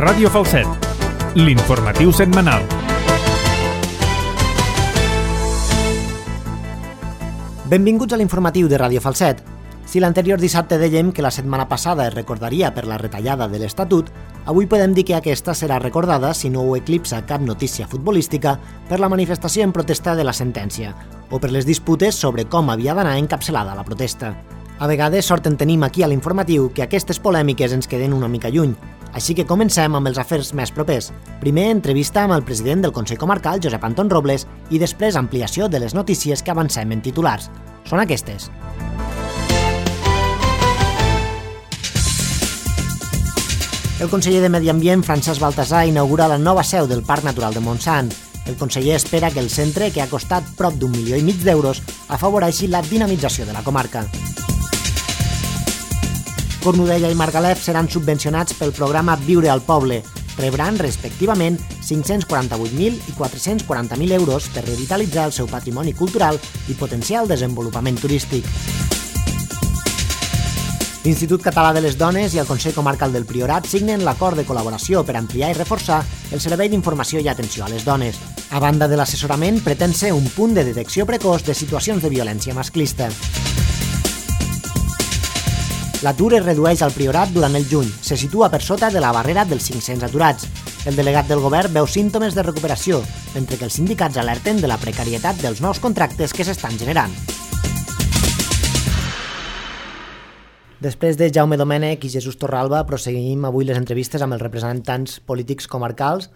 Ràdio Falset, l'informatiu setmanal. Benvinguts a l'informatiu de Ràdio Falset. Si l'anterior dissabte dèiem que la setmana passada es recordaria per la retallada de l'Estatut, avui podem dir que aquesta serà recordada, si no ho eclipsa cap notícia futbolística, per la manifestació en protesta de la sentència, o per les disputes sobre com havia d'anar encapçalada la protesta. A vegades sort en tenim aquí a l'informatiu que aquestes polèmiques ens queden una mica lluny, així que comencem amb els afers més propers. Primer, entrevista amb el president del Consell Comarcal, Josep Anton Robles, i després ampliació de les notícies que avancem en titulars. Són aquestes. El conseller de Medi Ambient, Francesc Baltasar, inaugura la nova seu del Parc Natural de Montsant. El conseller espera que el centre, que ha costat prop d'1,5 milió d'euros, afavoreixi la dinamització de la comarca. Cornudella i Margalef seran subvencionats pel programa Viure al Poble. Rebran, respectivament, 548.000 i 440.000 euros per revitalitzar el seu patrimoni cultural i potenciar el desenvolupament turístic. L'Institut Català de les Dones i el Consell Comarcal del Priorat signen l'acord de col·laboració per ampliar i reforçar el servei d'informació i atenció a les dones. A banda de l'assessorament, pretén ser un punt de detecció precoç de situacions de violència masclista. L'atur es redueix al Priorat durant el juny. Se situa per sota de la barrera dels 500 aturats. El delegat del govern veu símptomes de recuperació, mentre que els sindicats alerten de la precarietat dels nous contractes que s'estan generant. Després de Jaume Domènech i Jesús Torralba, proseguim avui les entrevistes amb els representants polítics comarcals.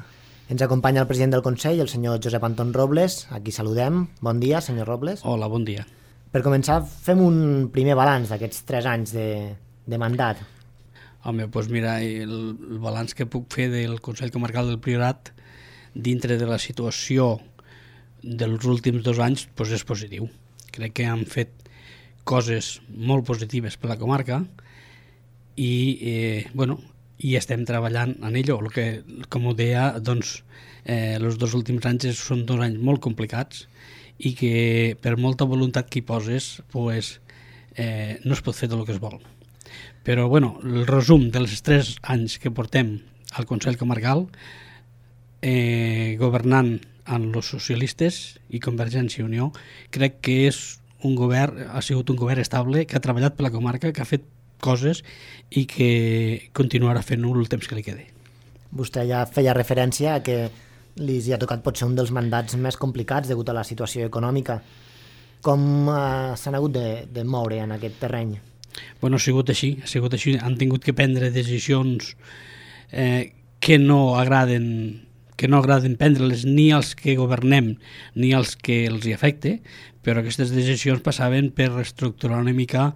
Ens acompanya el president del Consell, el senyor Josep Anton Robles. Aquí saludem. Bon dia, senyor Robles. Hola, bon dia. Per començar, fem un primer balanç d'aquests 3 anys de mandat. Home, doncs mira, el balanç que puc fer del Consell Comarcal del Priorat dintre de la situació dels últims 2 anys doncs és positiu. Crec que han fet coses molt positives per la comarca i estem treballant en ello. El que, com ho deia, doncs, els 2 últims anys són 2 anys molt complicats i que per molta voluntat que hi poses pues, no es pot fer tot el que es vol. Però el resum dels 3 anys que portem al Consell Comarcal governant amb els socialistes i Convergència i Unió, crec que ha sigut un govern estable, que ha treballat per la comarca, que ha fet coses i que continuarà fent-ho el temps que li quedi. Vostè ja feia referència a que li ha tocat potser un dels mandats més complicats degut a la situació econòmica. Com s'han hagut de moure en aquest terreny? Ha sigut així. Han tingut que prendre decisions que no agraden prendre-les ni als que governem ni als que els hi afecte, però aquestes decisions passaven per reestructurar una mica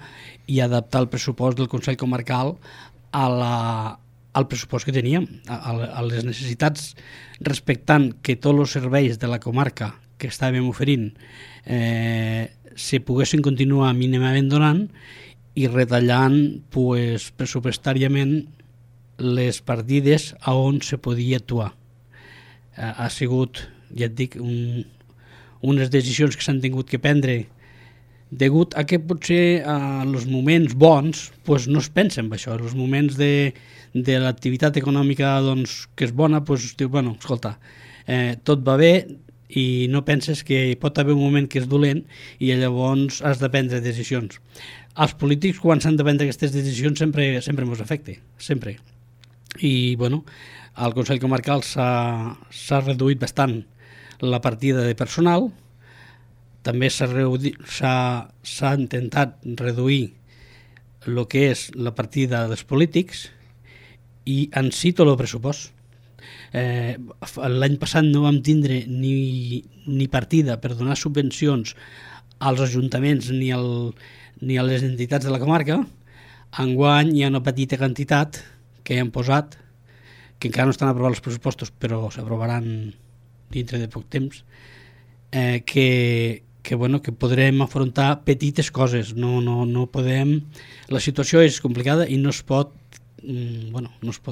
i adaptar el pressupost del Consell Comarcal al pressupost que teníem, a les necessitats, respectant que tots els serveis de la comarca que estàvem oferint se poguessin continuar mínimament donant i retallant pressupostàriament les partides a on se podia actuar. Ha sigut, ja et dic, unes decisions que s'han tingut que prendre degut a que potser en els moments bons no es pensa en això. En els moments de l'activitat econòmica que és bona, diu, escolta, tot va bé i no penses que hi pot haver un moment que és dolent i llavors has de prendre decisions. Els polítics, quan s'han de prendre aquestes decisions, sempre ens afecta, sempre. I, al Consell Comarcal s'ha reduït bastant la partida de personal, també s'ha intentat reduir el que és la partida dels polítics i en si tot el pressupost. L'any passat no vam tindre ni partida per donar subvencions als ajuntaments ni a les entitats de la comarca. Enguany hi ha una petita quantitat que hem posat, que encara no estan aprovats els pressupostos, però s'aprovaran dintre de poc temps, que podrem afrontar petites coses. No podem... La situació és complicada i no es pot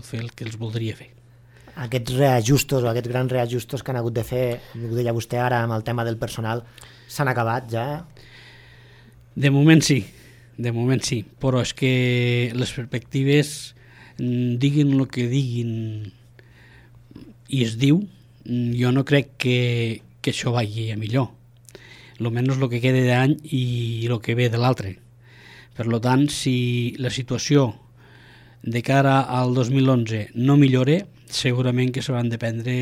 fer el que els voldria fer. Aquests reajustos o aquests grans reajustos que han hagut de fer, ho deia vostè ara amb el tema del personal, s'han acabat ja? De moment sí, però és que les perspectives, diguin el que diguin i es diu, jo no crec que això vagi a millor. Almenys el que queda d'any i el que ve de l'altre. Per tant, si la situació de cara al 2011 no millora, segurament que s'hauran de prendre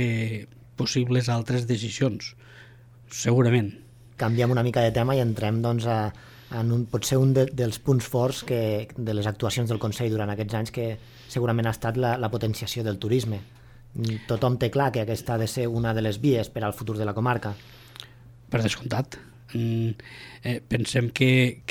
possibles altres decisions. Segurament. Canviem una mica de tema i entrem doncs, potser un dels punts forts de les actuacions del Consell durant aquests anys, que segurament ha estat la potenciació del turisme. Tothom té clar que aquesta ha de ser una de les vies per al futur de la comarca. Per descomptat. Pensem que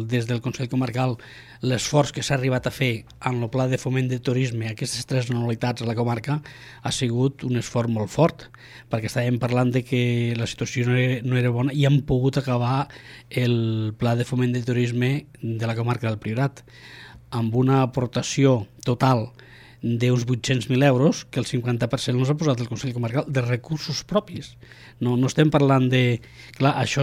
des del Consell Comarcal l'esforç que s'ha arribat a fer en el pla de foment de turisme, aquestes 3 anualitats a la comarca, ha sigut un esforç molt fort, perquè estàvem parlant de que la situació no era bona i hem pogut acabar el pla de foment de turisme de la comarca del Priorat amb una aportació total d'uns 800.000 euros, que el 50% els ha posat el Consell Comarcal de recursos propis. No estem parlant de... Clar, això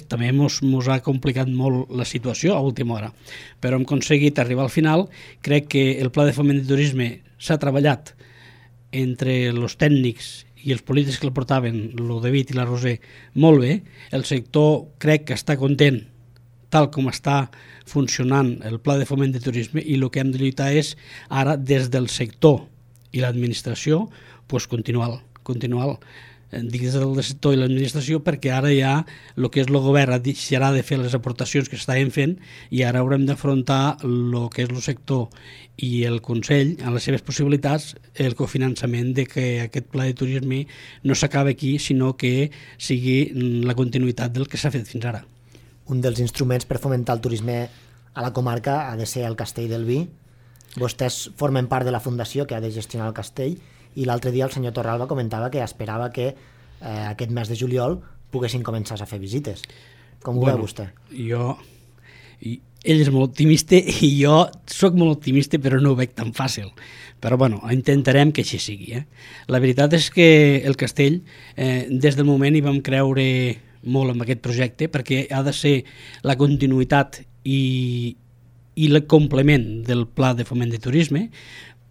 també mos ha complicat molt la situació a última hora, però hem aconseguit arribar al final. Crec que el pla de foment de turisme s'ha treballat entre els tècnics i els polítics que el portaven, el David i la Roser, molt bé. El sector crec que està content tal com està funcionant el pla de foment de turisme, i el que hem de lluitar és ara des del sector i l'administració continuar des del sector i l'administració, perquè ara ja el que és el govern deixarà de fer les aportacions que estaven fent i ara haurem d'afrontar el que és el sector i el Consell, en les seves possibilitats, el cofinançament de que aquest pla de turisme no s'acabi aquí, sinó que sigui la continuïtat del que s'ha fet fins ara. Un dels instruments per fomentar el turisme a la comarca ha de ser el Castell del Vi. Vostès formen part de la fundació que ha de gestionar el castell, i l'altre dia el senyor Torralba comentava que esperava que aquest mes de juliol poguessin començar a fer visites. Com ho veu vostè? Ell és molt optimista i jo sóc molt optimista, però no ho veig tan fàcil. Però intentarem que així sigui. La veritat és que el castell, des del moment hi vam creure molt en aquest projecte, perquè ha de ser la continuïtat i el complement del pla de foment de turisme,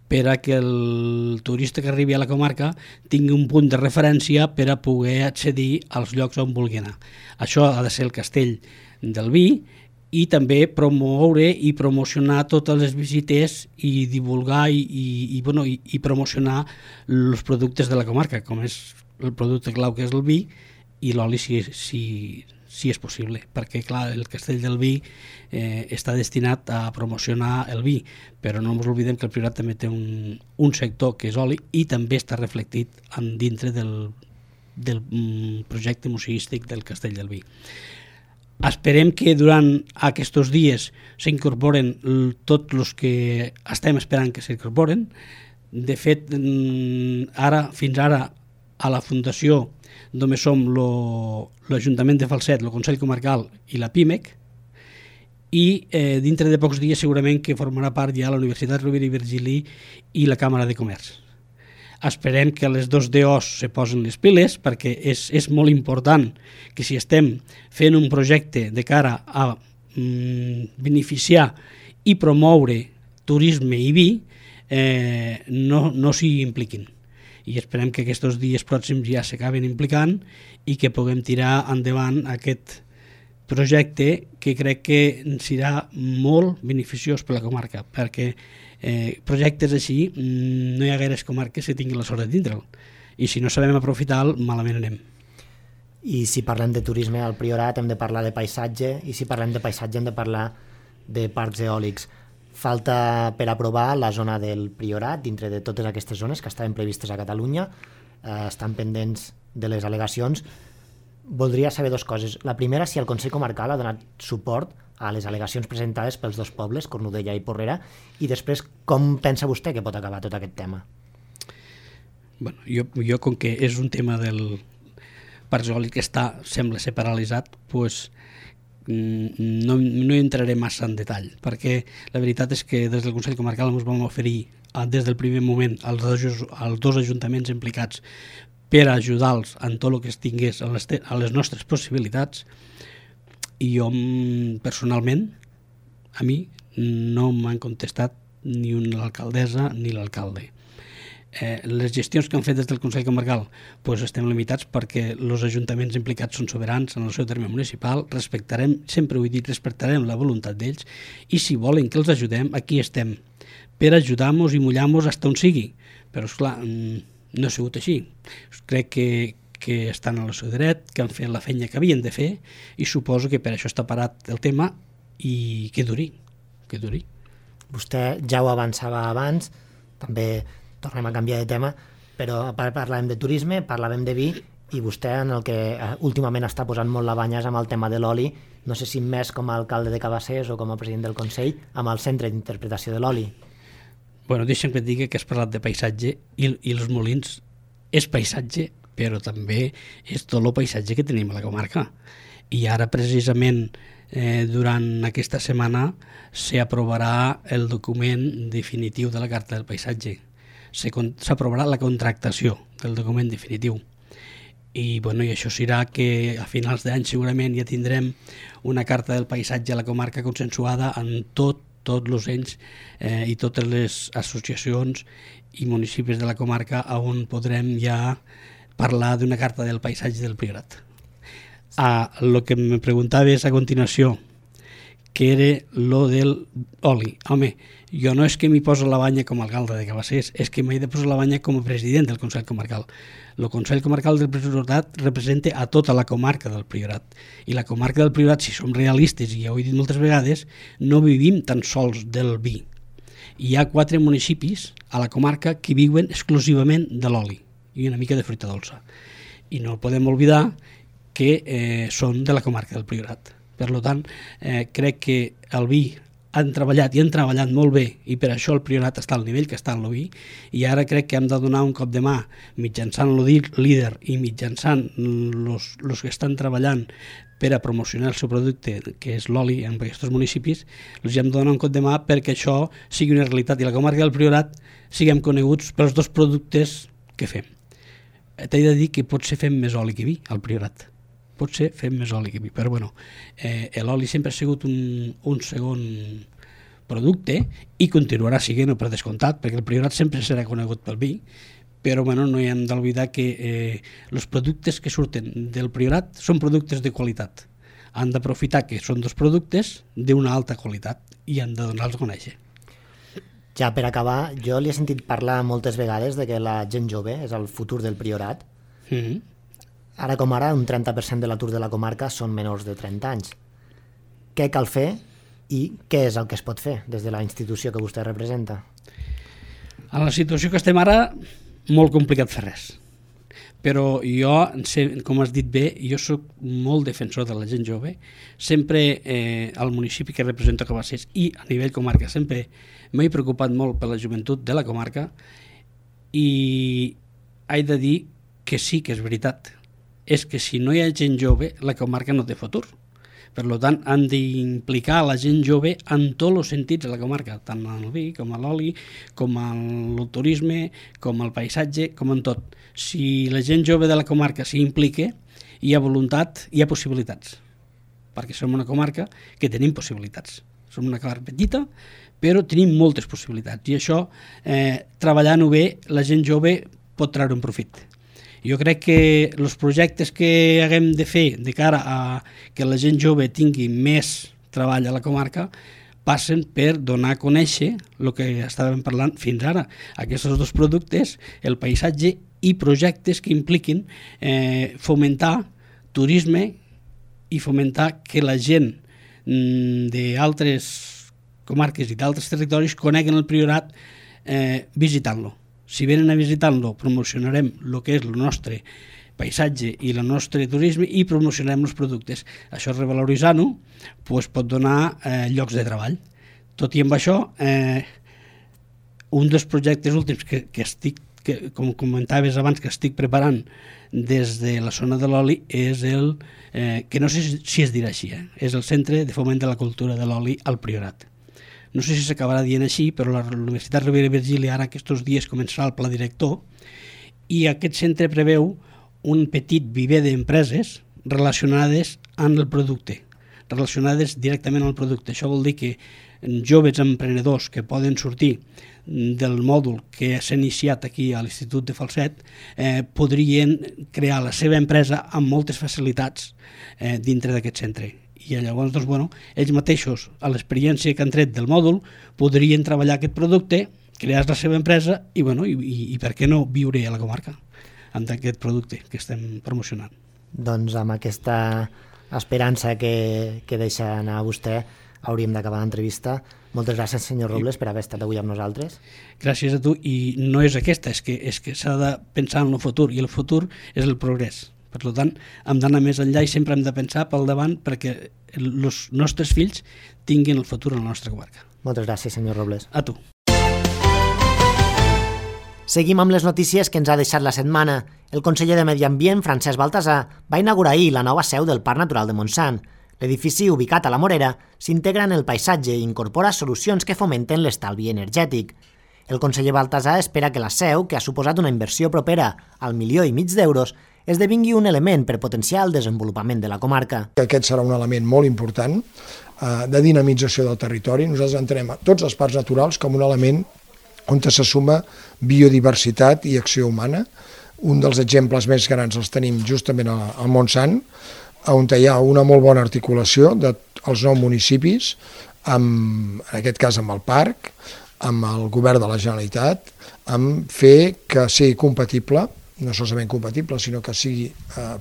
per a que el turista que arribi a la comarca tingui un punt de referència per a poder accedir als llocs on vulgui anar. Això ha de ser el Castell del Vi, i també promoure i promocionar totes les visites i divulgar i promocionar els productes de la comarca, com és el producte clau que és el vi, i l'oli si és possible, perquè clar, el Castell del Vi està destinat a promocionar el vi, però no ens oblidem que el Priorat també té un sector que és oli i també està reflectit dintre del projecte museístic del Castell del Vi. Esperem que durant aquests dies s'incorporen tots els que estem esperant que s'incorporen. De fet, fins ara a la Fundació només som l'Ajuntament de Falset, el Consell Comarcal i la PIMEC, i dintre de pocs dies segurament que formarà part ja la Universitat Rovira i Virgili i la Càmera de Comerç. Esperem que les dos DOs se posen les piles, perquè és molt important que si estem fent un projecte de cara a beneficiar i promoure turisme i vi, no s'hi impliquin. I esperem que aquests dies pròxims ja s'acaben implicant i que puguem tirar endavant aquest projecte, que crec que serà molt beneficiós per la comarca, perquè projectes així no hi ha gaires comarques que tinguin la sort de tindre'l, i si no sabem aprofitar-lo, malament anem. I si parlem de turisme al Priorat hem de parlar de paisatge, i si parlem de paisatge hem de parlar de parcs eòlics. Falta per aprovar la zona del Priorat dintre de totes aquestes zones que estaven previstes a Catalunya, estan pendents de les al·legacions. Voldria saber dues coses. La primera, si el Consell Comarcal ha donat suport a les al·legacions presentades pels dos pobles, Cornudella i Porrera, i després com pensa vostè que pot acabar tot aquest tema? Jo com que és un tema del parc eòlic que sembla ser paralitzat, no hi entraré massa en detall, perquè la veritat és que des del Consell Comarcal ens vam oferir des del primer moment als dos ajuntaments implicats per ajudar-los en tot el que es tingués a les nostres possibilitats, i jo personalment, a mi no m'han contestat ni l'alcaldessa ni l'alcalde. Les gestions que han fet des del Consell Comarcal estem limitats perquè els ajuntaments implicats són soberans en el seu terme municipal, sempre ho he dit, respectarem la voluntat d'ells i si volen que els ajudem, aquí estem per ajudar-nos i mullar-nos fins on sigui, però esclar, no ha sigut així. Crec que estan al seu dret, que han fet la feina que havien de fer i suposo que per això està parat el tema i que duri. Vostè ja ho avançava abans, també tornem a canviar de tema, però parlàvem de turisme, parlàvem de vi, i vostè en el que últimament està posant molt la banya és amb el tema de l'oli, no sé si més com a alcalde de Cabassers o com a president del Consell, amb el Centre d'Interpretació de l'Oli. Bueno, deixa'm que et digui que has parlat de paisatge i els molins és paisatge, però també és tot el paisatge que tenim a la comarca. I ara, precisament, durant aquesta setmana s'aprovarà el document definitiu de la Carta del Paisatge. S'aprovarà la contractació del document definitiu. I això serà que a finals d'any segurament ja tindrem una Carta del Paisatge a la comarca consensuada en tots els ens i totes les associacions i municipis de la comarca on podrem ja parlar d'una Carta del Paisatge del Priorat. El que me preguntaves a continuació, que era lo del oli. Home, jo no és que m'hi poso la banya com a alcalde de Cabassers, és que m'he de posar la banya com a president del Consell Comarcal. El Consell Comarcal del Priorat representa a tota la comarca del Priorat. I la comarca del Priorat, si som realistes, i ja ho he dit moltes vegades, no vivim tan sols del vi. Hi ha 4 municipis a la comarca que viuen exclusivament de l'oli i una mica de fruita dolça. I no podem oblidar que són de la comarca del Priorat. Per tant, crec que el vi han treballat molt bé i per això el Priorat està al nivell que està en el vi i ara crec que hem de donar un cop de mà mitjançant el líder i mitjançant els que estan treballant per a promocionar el seu producte, que és l'oli en aquests municipis, els hem de donar un cop de mà perquè això sigui una realitat i la comarca del Priorat siguem coneguts pels 2 productes que fem. T'he de dir que potser fem més oli que vi al Priorat. Potser fem més oli que vi, però l'oli sempre ha sigut un segon producte i continuarà sent per descomptat, perquè el Priorat sempre serà conegut pel vi, però no hi hem d'oblidar que els productes que surten del Priorat són productes de qualitat. Han d'aprofitar que són 2 productes d'una alta qualitat i han de donar-los a conèixer. Ja per acabar, jo li he sentit parlar moltes vegades de que la gent jove és el futur del Priorat. Ara com ara, un 30% de l'atur de la comarca són menors de 30 anys. Què cal fer i què és el que es pot fer des de la institució que vostè representa? A la situació que estem ara, molt complicat fer res. Però jo, com has dit bé, jo soc molt defensor de la gent jove. Sempre al municipi que represento Cabassers i a nivell comarca sempre m'he preocupat molt per la joventut de la comarca i he de dir que sí que és veritat. És que si no hi ha gent jove, la comarca no té futur. Per tant, han d'implicar la gent jove en tots els sentits de la comarca, tant en el vi, com en l'oli, com en el turisme, com el paisatge, com en tot. Si la gent jove de la comarca s'hi implica, hi ha voluntat, hi ha possibilitats. Perquè som una comarca que tenim possibilitats. Som una comarca petita, però tenim moltes possibilitats. I això, treballant-ho bé, la gent jove pot treure un profit. Jo crec que els projectes que haguem de fer de cara a que la gent jove tingui més treball a la comarca passen per donar a conèixer el que estàvem parlant fins ara, aquests 2 productes, el paisatge i projectes que impliquin fomentar turisme i fomentar que la gent d'altres comarques i d'altres territoris coneguen el Priorat visitant-lo. Si venen a visitar-lo, promocionarem el que és el nostre paisatge i el nostre turisme i promocionarem els productes. Això, revaloritzant-ho, pot donar llocs de treball. Tot i amb això, un dels projectes últims que estic, com comentaves abans, que estic preparant des de la zona de l'oli és que no sé si es dirà així, és el Centre de Foment de la Cultura de l'Oli al Priorat. No sé si s'acabarà dient així, però la Universitat Rovira i Virgili ara aquests dies començarà el pla director i aquest centre preveu un petit viver d'empreses relacionades amb el producte, relacionades directament al producte. Això vol dir que joves emprenedors que poden sortir del mòdul que s'ha iniciat aquí a l'Institut de Falset podrien crear la seva empresa amb moltes facilitats dintre d'aquest centre. I llavors, doncs, bueno, ells mateixos, a l'experiència que han tret del mòdul, podrien treballar aquest producte, crear la seva empresa i, bueno, i per què no viure a la comarca amb aquest producte que estem promocionant. Doncs amb aquesta esperança que deixa anar vostè hauríem d'acabar l'entrevista. Moltes gràcies, senyor Robles, per haver estat avui amb nosaltres. Gràcies a tu, i no és aquesta, és que s'ha de pensar en el futur, i el futur és el progrés. Per tant, hem d'anar més enllà i sempre hem de pensar pel davant perquè els nostres fills tinguin el futur a la nostra comarca. Moltes gràcies, senyor Robles. A tu. Seguim amb les notícies que ens ha deixat la setmana. El conseller de Medi Ambient, Francesc Baltasar, va inaugurar ahir la nova seu del Parc Natural de Montsant. L'edifici, ubicat a la Morera, s'integra en el paisatge i incorpora solucions que fomenten l'estalvi energètic. El conseller Baltasar espera que la seu, que ha suposat una inversió propera al 1,5 milió d'euros, esdevingui un element per potenciar el desenvolupament de la comarca. Aquest serà un element molt important de dinamització del territori. Nosaltres entenem tots els parcs naturals com un element on se suma biodiversitat i acció humana. Un dels exemples més grans els tenim justament al Montsant, on hi ha una molt bona articulació dels 9 municipis, en aquest cas amb el parc, amb el govern de la Generalitat, amb fer que sigui compatible, no solament compatible, sinó que sigui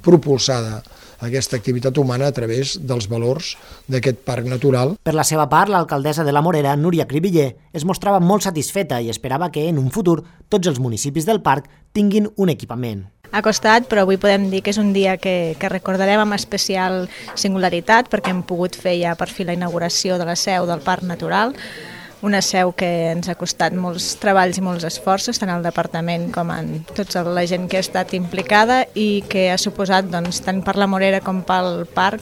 propulsada aquesta activitat humana a través dels valors d'aquest parc natural. Per la seva part, l'alcaldessa de la Morera, Núria Cribiller, es mostrava molt satisfeta i esperava que en un futur tots els municipis del parc tinguin un equipament. Ha costat, però avui podem dir que és un dia que recordarem amb especial singularitat perquè hem pogut fer ja per fi la inauguració de la seu del Parc Natural, una seu que ens ha costat molts treballs i molts esforços, tant al departament com en tota la gent que ha estat implicada i que ha suposat, doncs, tant per la Morera com pel parc,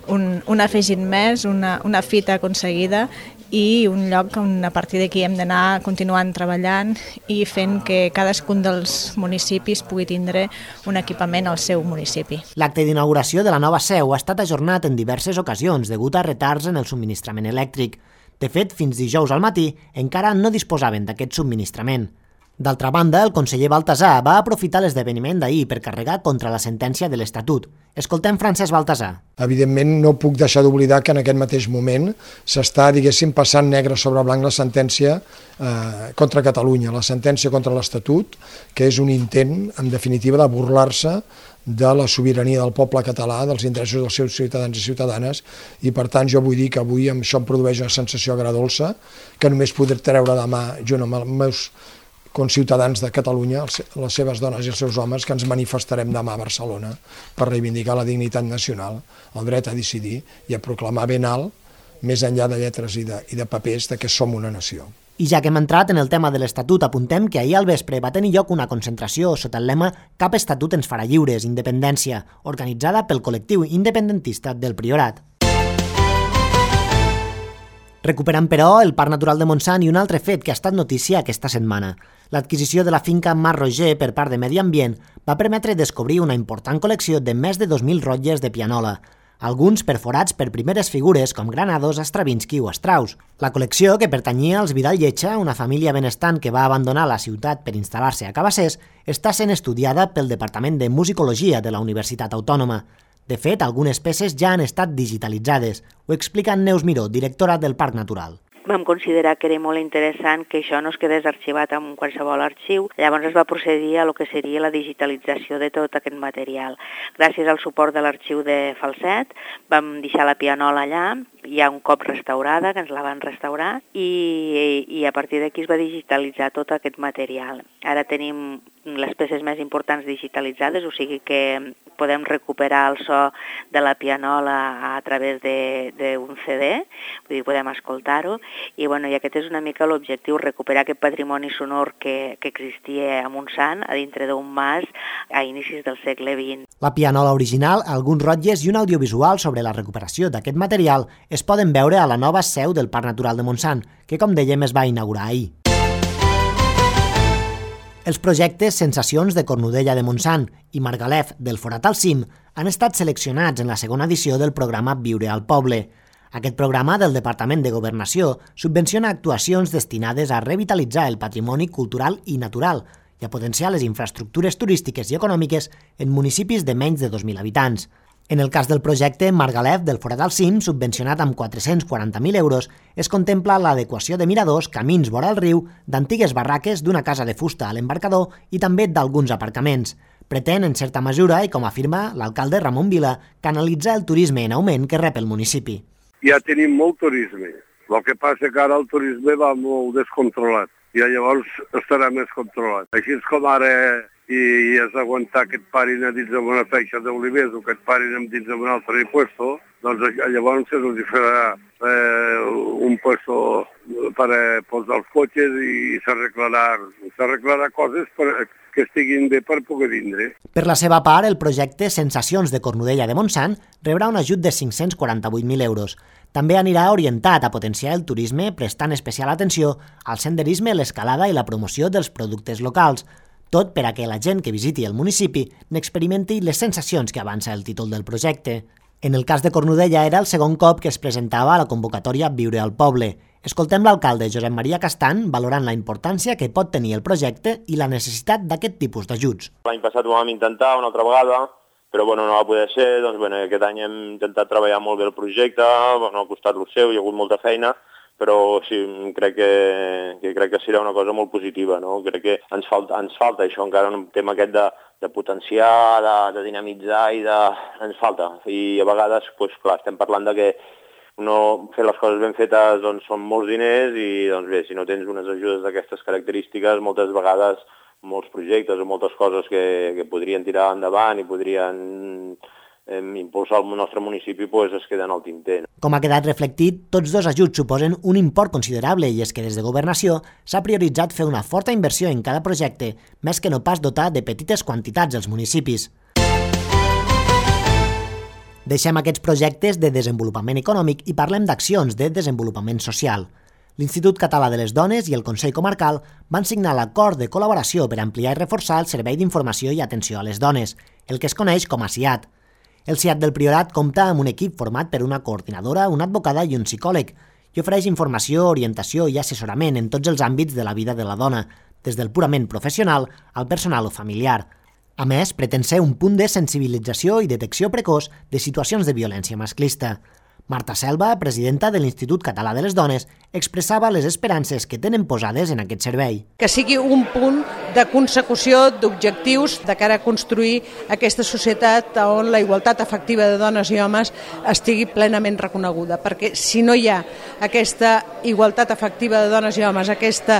un afegit més, una fita aconseguida i un lloc on a partir d'aquí hem d'anar continuant treballant i fent que cadascun dels municipis pugui tindre un equipament al seu municipi. L'acte d'inauguració de la nova seu ha estat ajornat en diverses ocasions degut a retards en el subministrament elèctric. De fet, fins dijous al matí encara no disposaven d'aquest subministrament. D'altra banda, el conseller Baltasar va aprofitar l'esdeveniment d'ahir per carregar contra la sentència de l'Estatut. Escoltem Francesc Baltasar. Evidentment, no puc deixar d'oblidar que en aquest mateix moment s'està, diguéssim, passant negre sobre blanc la sentència contra Catalunya, la sentència contra l'Estatut, que és un intent, en definitiva, de burlar-se de la sobirania del poble català, dels interessos dels seus ciutadans i ciutadanes, i per tant jo vull dir que avui això em produeix una sensació agradolça que només podré treure demà, junt amb els meus conciutadans de Catalunya, les seves dones i els seus homes, que ens manifestarem demà a Barcelona per reivindicar la dignitat nacional, el dret a decidir i a proclamar ben alt, més enllà de lletres i de papers, que som una nació. I ja que hem entrat en el tema de l'Estatut, apuntem que ahir al vespre va tenir lloc una concentració sota el lema Cap estatut ens farà lliures, independència, organitzada pel col·lectiu independentista del Priorat. Recuperant, però, el Parc Natural de Montsant i un altre fet que ha estat notícia aquesta setmana. L'adquisició de la finca Mas Roger per part de Medi Ambient va permetre descobrir una important col·lecció de més de 2.000 rotlles de pianola, alguns perforats per primeres figures com Granados, Stravinsky o Strauss. La col·lecció, que pertanyia als Vidal Lletja, una família benestant que va abandonar la ciutat per instal·lar-se a Cabassers, està sent estudiada pel Departament de Musicologia de la Universitat Autònoma. De fet, algunes peces ja han estat digitalitzades. Ho explica Neus Miró, directora del Parc Natural. Vam considerar que era molt interessant que això no es quedés arxivat en qualsevol arxiu. Llavors es va procedir a lo que seria la digitalització de tot aquest material. Gràcies al suport de l'arxiu de Falset vam deixar la pianola allà, ja un cop restaurada, que ens la van restaurar, i a partir d'aquí es va digitalitzar tot aquest material. Ara tenim les peces més importants digitalitzades, o sigui que podem recuperar el so de la pianola a través d'un CD, vull dir, podem escoltar-ho, i aquest és una mica l'objectiu, recuperar aquest patrimoni sonor que existia a Montsant, a dintre d'un mas, a inicis del segle XX. La pianola original, alguns rotlles i un audiovisual sobre la recuperació d'aquest material es poden veure a la nova seu del Parc Natural de Montsant, que, com dèiem, es va inaugurar ahir. Els projectes Sensacions de Cornudella de Montsant i Margalef del Forat al Cim han estat seleccionats en la segona edició del programa Viure al Poble. Aquest programa del Departament de Governació subvenciona actuacions destinades a revitalitzar el patrimoni cultural i natural i a potenciar les infraestructures turístiques i econòmiques en municipis de menys de 2.000 habitants. En el cas del projecte Margalef del Forat al Cim, subvencionat amb 440.000 euros, es contempla l'adequació de miradors, camins vora el riu, d'antigues barraques, d'una casa de fusta a l'embarcador i també d'alguns aparcaments. Pretén, en certa mesura, i com afirma l'alcalde Ramon Vila, canalitzar el turisme en augment que rep el municipi. Ja tenim molt turisme. El que passa que ara el turisme va molt descontrolat i llavors estarà més controlat. Així com ara i has d'aguantar que et parin a dins d'una feixa d'olivers o que et parin dins d'un altre puesto, doncs llavors se'ls farà un puesto per posar els cotxes i s'arreglarà coses que estiguin bé per poder vindre. Per la seva part, el projecte Sensacions de Cornudella de Montsant rebrà un ajut de 548.000 euros. També anirà orientat a potenciar el turisme prestant especial atenció al senderisme, l'escalada i la promoció dels productes locals, tot per a que la gent que visiti el municipi n'experimenti les sensacions que avança el títol del projecte. En el cas de Cornudella era el segon cop que es presentava a la convocatòria Viure al Poble. Escoltem l'alcalde Josep Maria Castan valorant la importància que pot tenir el projecte i la necessitat d'aquest tipus d'ajuts. L'any passat ho vam intentar una altra vegada, però no va poder ser. Aquest any hem intentat treballar molt bé el projecte, ha costat el seu, hi ha hagut molta feina, però sí, crec que serà una cosa molt positiva, no? Crec que ens falta això, encara un tema aquest de potenciar, de dinamitzar ens falta. I a vegades, clar, estem parlant de que fer les coses ben fetes són molts diners i bé, si no tens unes ajudes d'aquestes característiques, moltes vegades molts projectes o moltes coses que podrien tirar endavant i podrien impulsar el nostre municipi es queden al tinter. Com ha quedat reflectit, tots dos ajuts suposen un import considerable i és que des de Governació s'ha prioritzat fer una forta inversió en cada projecte, més que no pas dotar de petites quantitats als municipis. Deixem aquests projectes de desenvolupament econòmic i parlem d'accions de desenvolupament social. L'Institut Català de les Dones i el Consell Comarcal van signar l'acord de col·laboració per ampliar i reforçar el Servei d'Informació i Atenció a les Dones, el que es coneix com a SIAT. El SIAT del Priorat compta amb un equip format per una coordinadora, una advocada i un psicòleg i ofereix informació, orientació i assessorament en tots els àmbits de la vida de la dona, des del purament professional al personal o familiar. A més, pretén ser un punt de sensibilització i detecció precoç de situacions de violència masclista. Marta Selva, presidenta de l'Institut Català de les Dones, expressava les esperances que tenen posades en aquest servei. Que sigui un punt de consecució d'objectius de cara a construir aquesta societat on la igualtat efectiva de dones i homes estigui plenament reconeguda, perquè si no hi ha aquesta igualtat efectiva de dones i homes, aquest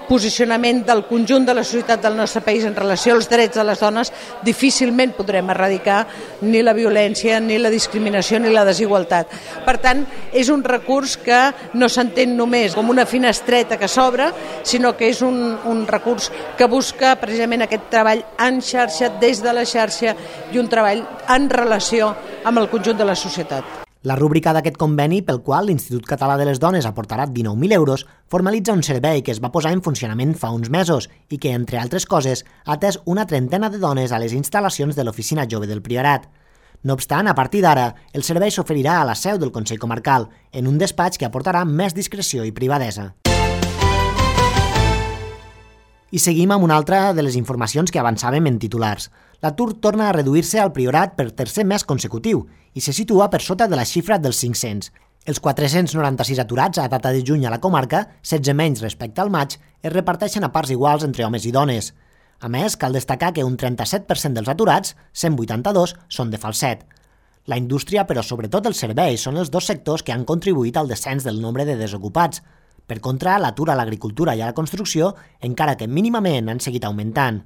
posicionament del conjunt de la societat del nostre país en relació als drets de les dones, difícilment podrem erradicar ni la violència, ni la discriminació, ni la desigualtat. Per tant, és un recurs que no s'entén només com una finestreta que s'obre, sinó que és un recurs que busca precisament aquest treball en xarxa, des de la xarxa, i un treball en relació amb el conjunt de la societat. La rúbrica d'aquest conveni, pel qual l'Institut Català de les Dones aportarà 19.000 euros, formalitza un servei que es va posar en funcionament fa uns mesos i que, entre altres coses, ha atès una trentena de dones a les instal·lacions de l'Oficina Jove del Priorat. No obstant, a partir d'ara, el servei s'oferirà a la seu del Consell Comarcal, en un despatx que aportarà més discreció i privadesa. I seguim amb una altra de les informacions que avançàvem en titulars. L'atur torna a reduir-se al Priorat per tercer mes consecutiu i se situa per sota de la xifra dels 500. Els 496 aturats a data de juny a la comarca, 16 menys respecte al maig, es reparteixen a parts iguals entre homes i dones. A més, cal destacar que un 37% dels aturats, 182, són de Falset. La indústria, però sobretot els serveis, són els dos sectors que han contribuït al descens del nombre de desocupats. Per contra, l'atur a l'agricultura i a la construcció, encara que mínimament, han seguit augmentant.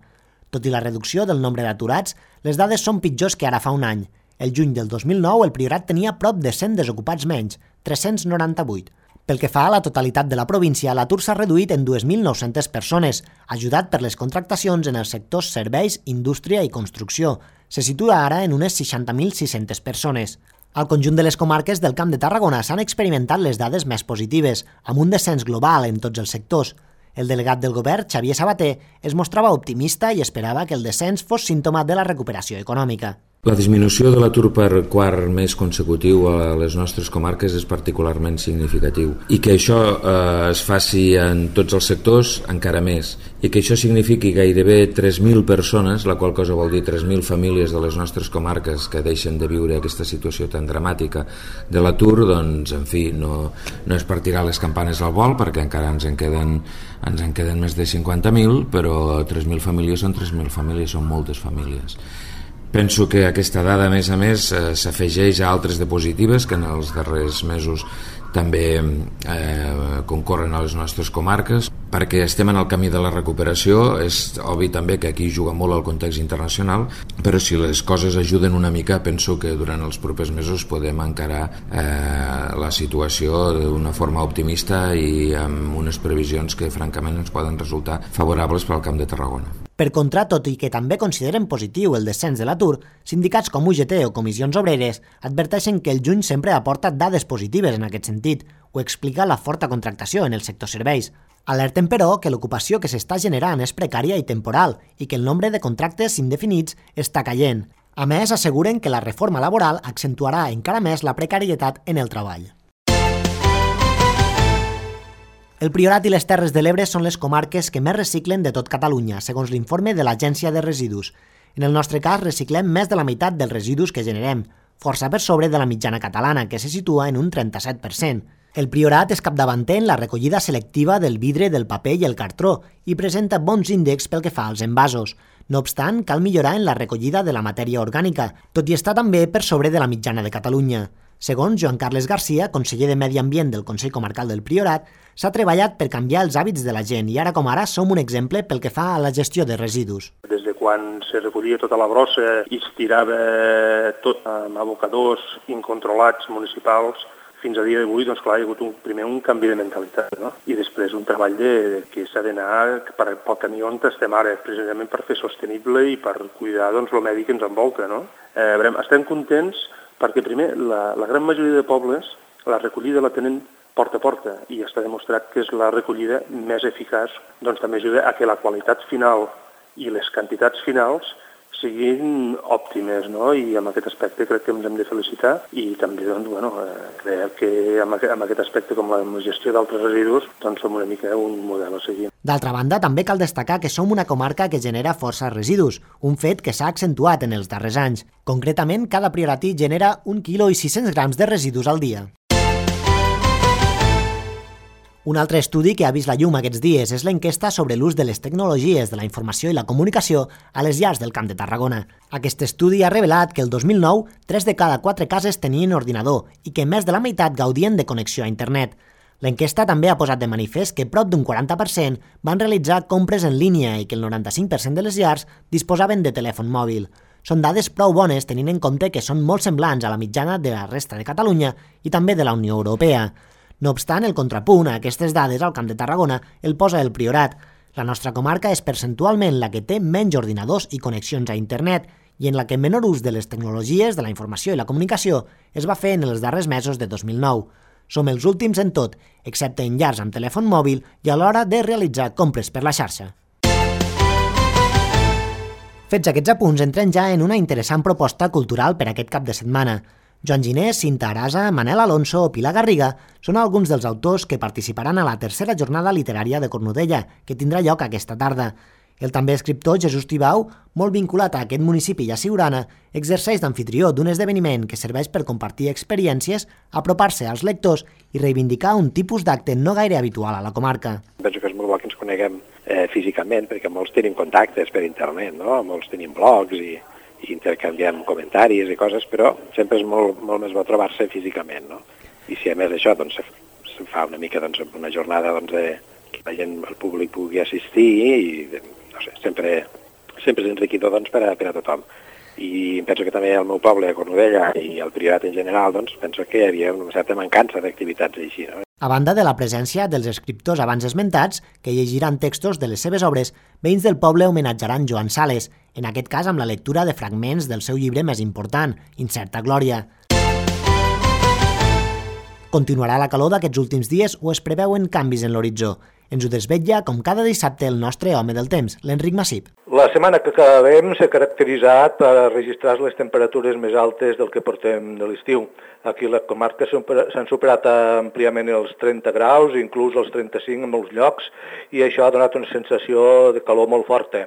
Tot i la reducció del nombre d'aturats, les dades són pitjors que ara fa un any. El juny del 2009, el Priorat tenia prop de 100 desocupats menys, 398. Pel que fa a la totalitat de la província, l'atur s'ha reduït en 2.900 persones, ajudat per les contractacions en els sectors serveis, indústria i construcció. Se situa ara en unes 60.600 persones. Al conjunt de les comarques del Camp de Tarragona s'han experimentat les dades més positives, amb un descens global en tots els sectors. El delegat del govern, Xavier Sabater, es mostrava optimista i esperava que el descens fos símptoma de la recuperació econòmica. La disminució de l'atur per quart mes consecutiu a les nostres comarques és particularment significatiu i que això es faci en tots els sectors encara més i que això signifiqui gairebé 3.000 persones, la qual cosa vol dir 3.000 famílies de les nostres comarques que deixen de viure aquesta situació tan dramàtica de l'atur, doncs en fi, no és per tirar les campanes al vol perquè encara ens en queden més de 50.000, però 3.000 famílies són 3.000 famílies, són moltes famílies. Penso que aquesta dada, a més, s'afegeix a altres de positives que en els darrers mesos també concorren a les nostres comarques, perquè estem en el camí de la recuperació. És obvi també que aquí juga molt el context internacional, però si les coses ajuden una mica, penso que durant els propers mesos podem encarar la situació d'una forma optimista i amb unes previsions que francament ens poden resultar favorables per al Camp de Tarragona. Per contra, tot i que també consideren positiu el descens de l'atur, sindicats com UGT o comissions obreres adverteixen que el juny sempre aporta dades positives en aquest sentit. Ho explica la forta contractació en el sector serveis. Alerten, però, que l'ocupació que s'està generant és precària i temporal i que el nombre de contractes indefinits està caient. A més, asseguren que la reforma laboral accentuarà encara més la precarietat en el treball. El Priorat i les Terres de l'Ebre són les comarques que més reciclen de tot Catalunya, segons l'informe de l'Agència de Residus. En el nostre cas, reciclem més de la meitat dels residus que generem, força per sobre de la mitjana catalana, que se situa en un 37%. El Priorat és capdavanter en la recollida selectiva del vidre, del paper i el cartró i presenta bons índexs pel que fa als envasos. No obstant, cal millorar en la recollida de la matèria orgànica, tot i estar també per sobre de la mitjana de Catalunya. Segons Joan Carles Garcia, conseller de Medi Ambient del Consell Comarcal del Priorat, s'ha treballat per canviar els hàbits de la gent i ara com ara som un exemple pel que fa a la gestió de residus. Des de quan se recollia tota la brossa i es tirava tot amb abocadors incontrolats municipals, fins a dia d'avui, doncs clar, hi ha hagut primer un canvi de mentalitat, no? I després un treball que s'ha d'anar pel camí on estem ara, precisament per fer sostenible i per cuidar doncs, el medi que ens envolta, no? Estem contents perquè primer la gran majoria de pobles la recollida la tenen porta a porta i està demostrat que és la recollida més eficaç, doncs també ajuda a que la qualitat final i les quantitats finals siguin òptimes, no? I en aquest aspecte crec que ens hem de felicitar i també doncs, crec que en aquest aspecte, com la gestió d'altres residus, doncs som una mica un model a seguir. D'altra banda, també cal destacar que som una comarca que genera força residus, un fet que s'ha accentuat en els darrers anys. Concretament, cada prioratí genera 1 quilo i 600 grams de residus al dia. Un altre estudi que ha vist la llum aquests dies és l'enquesta sobre l'ús de les tecnologies de la informació i la comunicació a les llars del Camp de Tarragona. Aquest estudi ha revelat que el 2009 3 de cada 4 cases tenien ordinador i que més de la meitat gaudien de connexió a internet. L'enquesta també ha posat de manifest que prop d'un 40% van realitzar compres en línia i que el 95% de les llars disposaven de telèfon mòbil. Són dades prou bones tenint en compte que són molt semblants a la mitjana de la resta de Catalunya i també de la Unió Europea. No obstant, el contrapunt a aquestes dades al Camp de Tarragona el posa el Priorat. La nostra comarca és percentualment la que té menys ordinadors i connexions a internet i en la que menor ús de les tecnologies de la informació i la comunicació es va fer en els darrers mesos de 2009. Som els últims en tot, excepte en llars amb telèfon mòbil i a l'hora de realitzar compres per la xarxa. Fets aquests apunts, entrem ja en una interessant proposta cultural per aquest cap de setmana. Joan Ginés, Cinta Arasa, Manel Alonso o Pilar Garriga són alguns dels autors que participaran a la tercera jornada literària de Cornudella, que tindrà lloc aquesta tarda. El també escriptor Jesús Tibau, molt vinculat a aquest municipi i a Siurana, exerceix d'amfitrió d'un esdeveniment que serveix per compartir experiències, apropar-se als lectors i reivindicar un tipus d'acte no gaire habitual a la comarca. Penso que és molt bo que ens coneguem físicament, perquè molts tenim contactes per internet, no? Molts tenim blogs i intercanviem comentaris i coses, però sempre és molt més bo trobar-se físicament, no? I si a més d'això doncs, se fa una mica una jornada que la gent, el públic pugui assistir i no sé, sempre és enriquidor doncs, per a tothom. I penso que també el meu poble, Cornudella, i el Priorat en general, doncs, penso que hi havia una certa mancança d'activitats així, no? A banda de la presència dels escriptors abans esmentats, que llegiran textos de les seves obres, veïns del poble homenatjaran Joan Sales, en aquest cas amb la lectura de fragments del seu llibre més important, Incerta Glòria. Continuarà la calor d'aquests últims dies o es preveuen canvis en l'horitzó. Ens ho desvetlla, com cada dissabte, el nostre home del temps, l'Enric Massip. La setmana que acabem s'ha caracteritzat per registrar les temperatures més altes del que portem de l'estiu. Aquí a la comarca s'han superat àmpliament els 30 graus, inclús els 35 en molts llocs, i això ha donat una sensació de calor molt forta.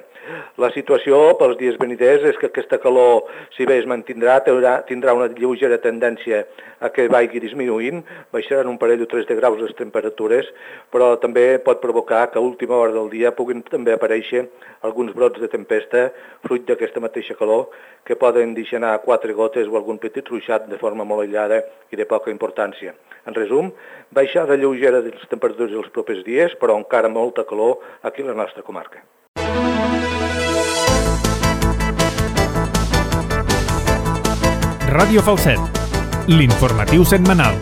La situació pels dies veniders és que aquesta calor, si bé es mantindrà, tindrà una lleugera tendència a que vagi disminuint, baixaran un parell o 3 de graus les temperatures, però també pot provocar que a última hora del dia puguin també aparèixer alguns brots de tempesta, fruit d'aquesta mateixa calor, que poden deixar anar 4 gotes o algun petit ruixat de forma molt aïllada i de poca importància. En resum, baixada lleugera de les temperatures els propers dies, però encara molta calor aquí a la nostra comarca. Ràdio Falset, l'informatiu setmanal.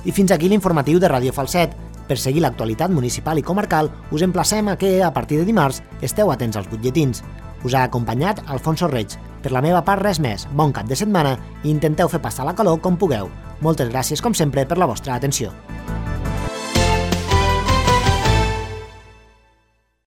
I fins aquí l'informatiu de Ràdio Falset. Per seguir l'actualitat municipal i comarcal, us emplacem a que, a partir de dimarts, esteu atents als butlletins. Us ha acompanyat Alfonso Reig. Per la meva part, res més. Bon cap de setmana i intenteu fer passar la calor com pugueu. Moltes gràcies, com sempre, per la vostra atenció.